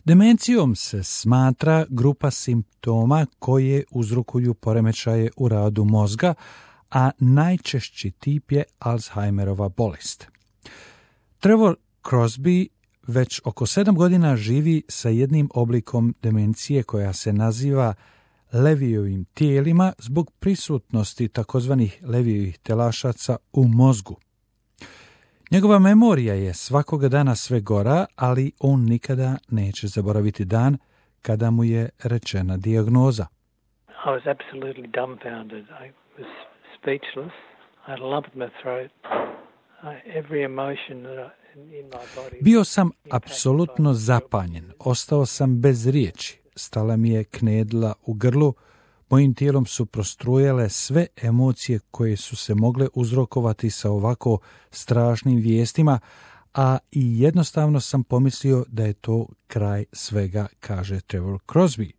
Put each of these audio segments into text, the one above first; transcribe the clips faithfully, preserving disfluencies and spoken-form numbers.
Demencijom se smatra grupa simptoma koje uzrokuju poremećaje u radu mozga, a najčešći tip je Alzheimerova bolest. Trevor Crosby već oko sedam godina živi sa jednim oblikom demencije koja se naziva Levijevim tijelima zbog prisutnosti takozvanih Levijevih telašaca u mozgu. Njegova memorija je svakoga dana sve gora, ali on nikada neće zaboraviti dan kada mu je rečena dijagnoza. I was absolutely dumbfounded. I was speechless. I had a lump in my throat. I, every emotion that I, in my body. Bio sam apsolutno zapanjen. Ostao sam bez riječi. Stala mi je knedla u grlu. Mojim tijelom su prostrujale sve emocije koje su se mogle uzrokovati sa ovako strašnim vijestima, a i jednostavno sam pomislio da je to kraj svega, kaže Trevor Crosby,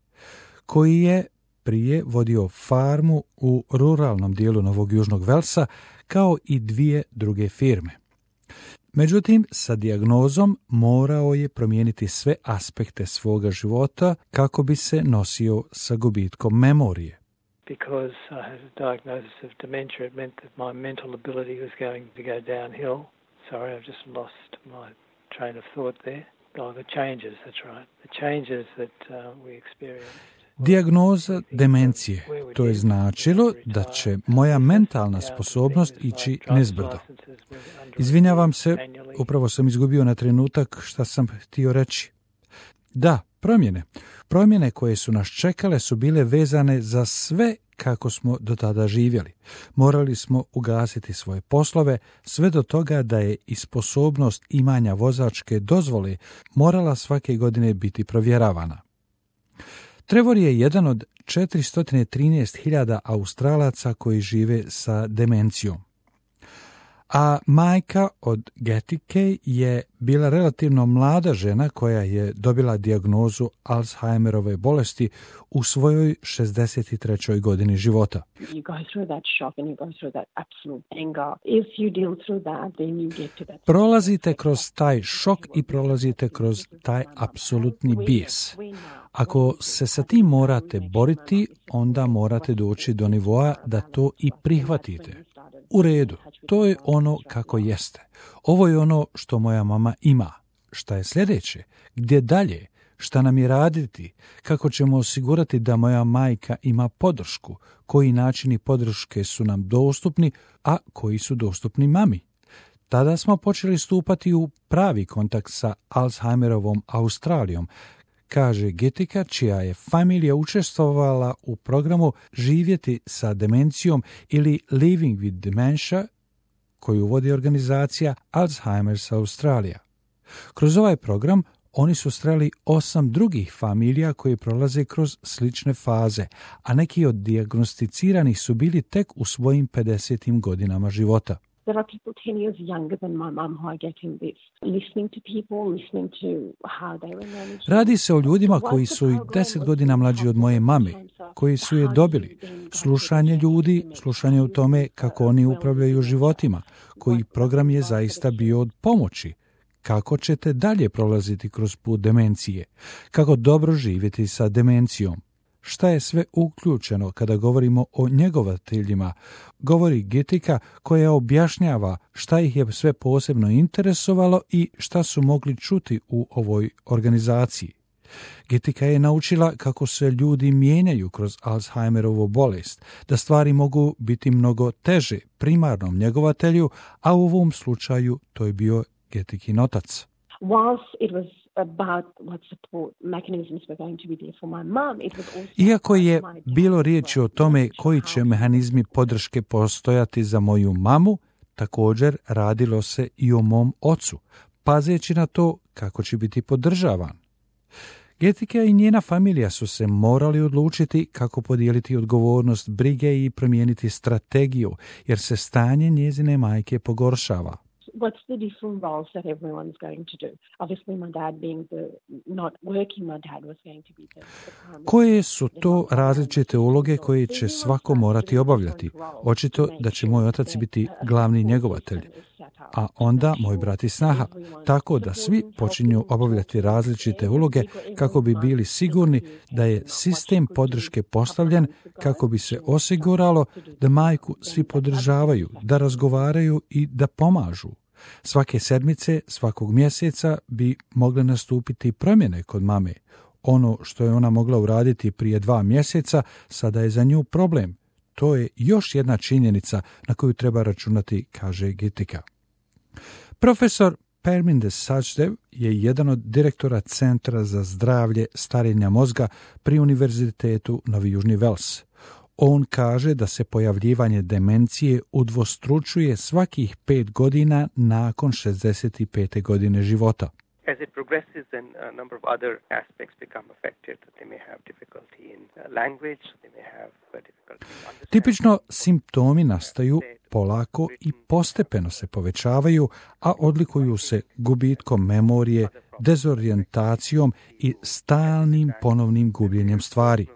koji je prije vodio farmu u ruralnom dijelu Novog Južnog Velsa, kao i dvije druge firme. Međutim, sa dijagnozom morao je promijeniti sve aspekte svoga života kako bi se nosio sa gubitkom memorije. Because I had a diagnosis of dementia, it meant that my mental ability was going to go downhill. Sorry, I've just lost my train of thought there. Oh, the changes, that's right. The changes that uh, we experienced. Dijagnoza demencije, to je značilo da će moja mentalna sposobnost ići nizbrdo. Izvinjavam se, upravo sam izgubio na trenutak šta sam htio reći. Da, promjene. Promjene koje su nas čekale su bile vezane za sve kako smo do tada živjeli. Morali smo ugasiti svoje poslove, sve do toga da je i sposobnost imanja vozačke dozvole morala svake godine biti provjeravana. Trevor je jedan od četiristo trinaest hiljada Australaca koji žive sa demencijom. A majka od Getike je bila relativno mlada žena koja je dobila dijagnozu Alzheimerove bolesti u svojoj šezdeset trećoj godini života. Prolazite kroz taj šok i prolazite kroz taj apsolutni bijes. Ako se sa tim morate boriti, onda morate doći do nivoa da to i prihvatite. U redu, to je ono kako jeste. Ovo je ono što moja mama ima. Šta je sljedeće? Gdje dalje? Šta nam je raditi? Kako ćemo osigurati da moja majka ima podršku? Koji načini podrške su nam dostupni, a koji su dostupni mami? Tada smo počeli stupati u pravi kontakt sa Alzheimerovom Australijom, kaže Getika, čija je familija učestvovala u programu Živjeti sa demencijom ili Living with Dementia, koju vodi organizacija Alzheimer's Australia. Kroz ovaj program oni su sreli osam drugih familija koje prolaze kroz slične faze, a neki od dijagnosticiranih su bili tek u svojim pedesetim godinama života. There are people ten years younger than my mum who are getting this. Listening to people, listening to how they were managing. Radi se o ljudima koji su i deset godina mlađi od moje mame, koji su je dobili. Slušanje ljudi, slušanje o tome kako oni upravljaju životima, koji program je zaista bio od pomoći. Kako ćete dalje prolaziti kroz put demencije? Kako dobro živjeti sa demencijom? Šta je sve uključeno kada govorimo o njegovateljima, govori Getika koja objašnjava šta ih je sve posebno interesovalo i šta su mogli čuti u ovoj organizaciji. Getika je naučila kako se ljudi mijenjaju kroz Alzheimerovu bolest, da stvari mogu biti mnogo teže primarnom njegovatelju, a u ovom slučaju to je bio Getikin otac. Iako je bilo riječi o tome koji će mehanizmi podrške postojati za moju mamu, također radilo se i o mom ocu, pazeći na to kako će biti podržavan. Getika i njena familija su se morali odlučiti kako podijeliti odgovornost brige i promijeniti strategiju, jer se stanje njezine majke pogoršava. What's the different roles that everyone's going to do? Obviously, my dad being the not working, my dad was going to be the, the primary. Koje su to različite uloge koje će svako morati obavljati? Očito da će moj otac biti glavni njegovatelj. a onda moj brat i snaha, tako da svi počinju obavljati različite uloge kako bi bili sigurni da je sistem podrške postavljen kako bi se osiguralo da majku svi podržavaju, da razgovaraju i da pomažu. Svake sedmice, svakog mjeseca bi mogle nastupiti promjene kod mame. Ono što je ona mogla uraditi prije dva mjeseca, sada je za nju problem. To je još jedna činjenica na koju treba računati, kaže Gitika. Profesor Parminder Sachdev je jedan od direktora Centra za zdravlje starenja mozga pri Univerzitetu Novi Južni Vels. On kaže da se pojavljivanje demencije udvostručuje svakih pet godina nakon šezdeset pete godine života. As it progresses, then a number of other aspects become affected. They may have difficulty in language, they may have difficulty in understanding. Tipično simptomi nastaju polako i postepeno se povećavaju, a odlikuju se gubitkom memorije, dezorijentacijom i stalnim ponovnim gubljenjem stvari.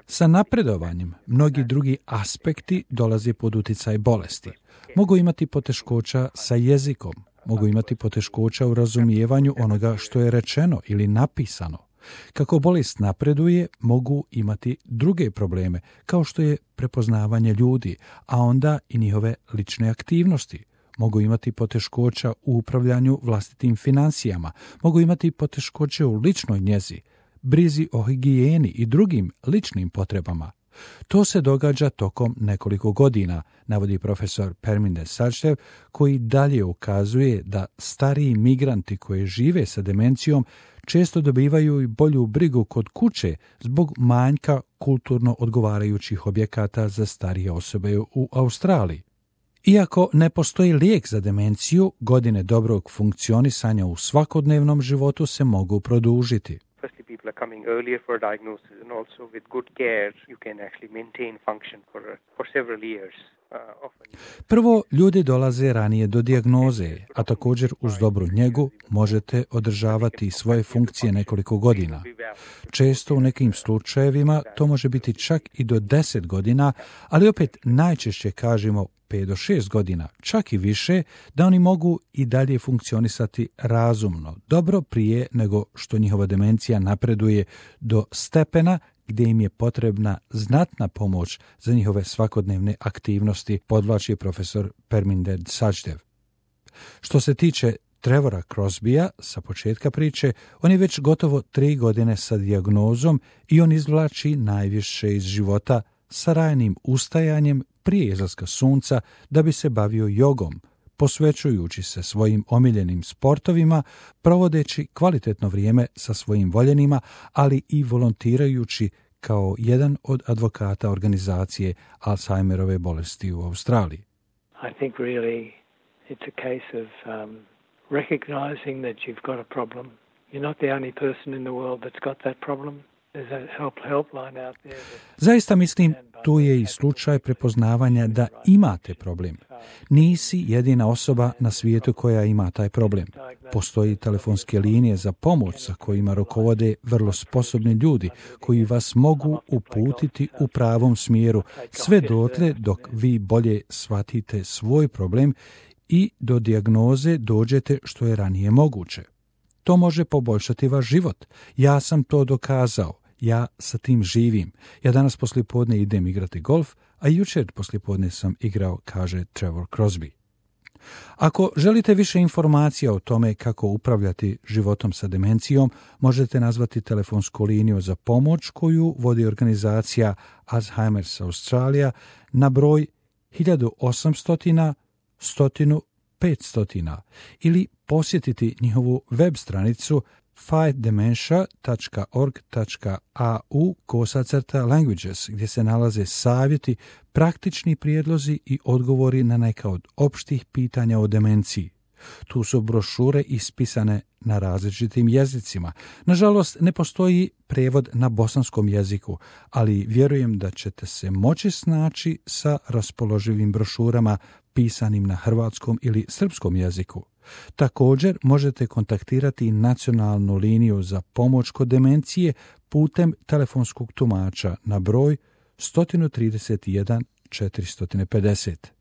Sa napredovanjem mnogi drugi aspekti dolaze pod utjecaj bolesti. Mogu imati poteškoća sa jezikom, mogu imati poteškoća u razumijevanju onoga što je rečeno ili napisano. Kako bolest napreduje, mogu imati druge probleme, kao što je prepoznavanje ljudi, a onda i njihove lične aktivnosti. Mogu imati poteškoća u upravljanju vlastitim financijama, mogu imati poteškoće u ličnoj njezi, brizi o higijeni i drugim ličnim potrebama. To se događa tokom nekoliko godina, navodi profesor Parminder Sachdev, koji dalje ukazuje da stariji migranti koji žive sa demencijom često dobivaju i bolju brigu kod kuće zbog manjka kulturno odgovarajućih objekata za starije osobe u Australiji. Iako ne postoji lijek za demenciju, godine dobrog funkcionisanja u svakodnevnom životu se mogu produžiti. Firstly, people are coming earlier for diagnosis, and also with good care, you can actually maintain function for for several years. Uh, often. Prvo, ljudi dolaze ranije do dijagnoze, a također uz dobru njegu možete održavati svoje funkcije nekoliko godina. Često u nekim slučajevima to može biti čak i do deset godina, ali opet najčešće kažemo pet do šest godina, čak i više, da oni mogu i dalje funkcionisati razumno, dobro prije nego što njihova demencija napreduje do stepena gdje im je potrebna znatna pomoć za njihove svakodnevne aktivnosti, podvlači profesor Parminder Sachdev. Što se tiče Trevora Crosbya, sa početka priče, on je već gotovo tri godine sa dijagnozom i on izvlači najviše iz života sa rajnim ustajanjem prije izlaska sunca da bi se bavio jogom, posvećujući se svojim omiljenim sportovima, provodeći kvalitetno vrijeme sa svojim voljenima, ali i volontirajući kao jedan od advokata organizacije Alzheimerove bolesti u Australiji. I think really it's a case of um, recognizing that you've got a problem. You're not the only person in the world that's got that problem. Zaista mislim, tu je i slučaj prepoznavanja da imate problem. Nisi jedina osoba na svijetu koja ima taj problem. Postoji telefonske linije za pomoć sa kojima rukovode vrlo sposobni ljudi koji vas mogu uputiti u pravom smjeru, sve dotle dok vi bolje shvatite svoj problem i do dijagnoze dođete što je ranije moguće. To može poboljšati vaš život. Ja sam to dokazao. Ja sa tim živim. Ja danas poslijepodne idem igrati golf, a jučer poslijepodne sam igrao, kaže Trevor Crosby. Ako želite više informacija o tome kako upravljati životom sa demencijom, možete nazvati telefonsku liniju za pomoć koju vodi organizacija Alzheimer's Australia na broj hiljadu osamsto sto petsto ili posjetiti njihovu web stranicu fight dementia dot org dot a u kosacrta languages, gdje se nalaze savjeti, praktični prijedlozi i odgovori na neka od opštih pitanja o demenciji. Tu su brošure ispisane na različitim jezicima. Nažalost, ne postoji prevod na bosanskom jeziku, ali vjerujem da ćete se moći snaći sa raspoloživim brošurama pisanim na hrvatskom ili srpskom jeziku. Također možete kontaktirati nacionalnu liniju za pomoć kod demencije putem telefonskog tumača na broj sto trideset jedan četiristo pedeset.